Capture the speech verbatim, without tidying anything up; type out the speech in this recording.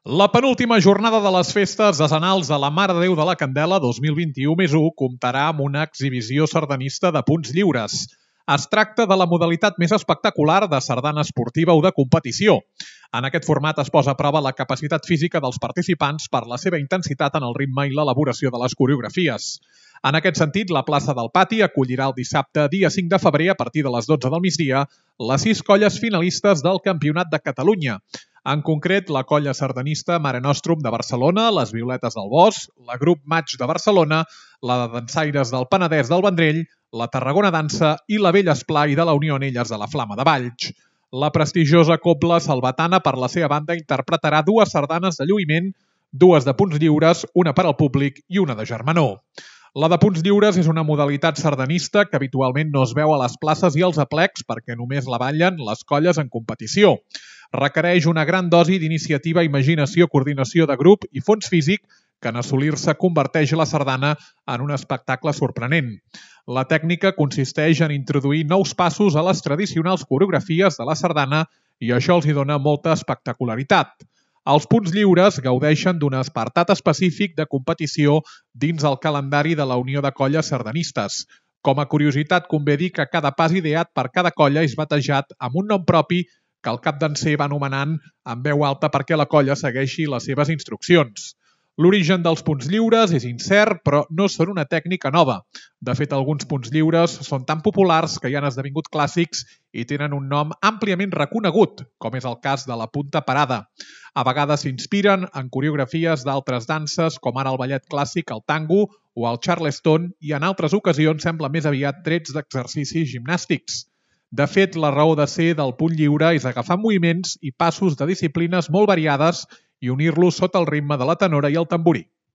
La penúltima jornada de les festes decenals de la Mare de Déu de la Candela dos mil vint-i-u més u comptarà amb una exhibició sardanista de punts lliures. Es tracta de la modalitat més espectacular de sardana esportiva o de competició. En aquest format es posa a prova la capacitat física dels participants per la seva intensitat en el ritme i l'elaboració de les coreografies. En aquest sentit, la plaça del Pati acollirà el dissabte, dia cinc de febrer, a partir de les dotze del migdia, les sis colles finalistes del Campionat de Catalunya. En concret, la colla sardanista Mare Nostrum de Barcelona, les Violetes del Bosc, la Grup Maig de Barcelona, la de Dansaires del Penedès del Vendrell, la Tarragona Dansa i la Vella Esplai de la Unió Anelles de la Flama de Valls. La prestigiosa cobla salvatana, per la seva banda, interpretarà dues sardanes de lluïment, dues de punts lliures, una per al públic i una de germanor. La de punts lliures és una modalitat sardanista que habitualment no es veu a les places i als aplecs perquè només la ballen les colles en competició. Requereix una gran dosi d'iniciativa, imaginació, coordinació de grup i fons físic que en assolir-se converteix la sardana en un espectacle sorprenent. La tècnica consisteix en introduir nous passos a les tradicionals coreografies de la sardana i això els hi dona molta espectacularitat. Els punts lliures gaudeixen d'un apartat específic de competició dins el calendari de la Unió de Colles Sardanistes. Com a curiositat, convé dir que cada pas ideat per cada colla és batejat amb un nom propi que el cap danser va anomenant en veu alta perquè la colla segueixi les seves instruccions. L'origen dels punts lliures és incert, però no són una tècnica nova. De fet, alguns punts lliures són tan populars que ja han esdevingut clàssics i tenen un nom àmpliament reconegut, com és el cas de la punta parada. A vegades s'inspiren en coreografies d'altres danses, com ara el ballet clàssic, el tango o el charleston, i en altres ocasions sembla més aviat trets d'exercicis gimnàstics. De fet, la raó de ser del punt lliure és agafar moviments i passos de disciplines molt variades i unir-los sota el ritme de la tenora i el tamborí.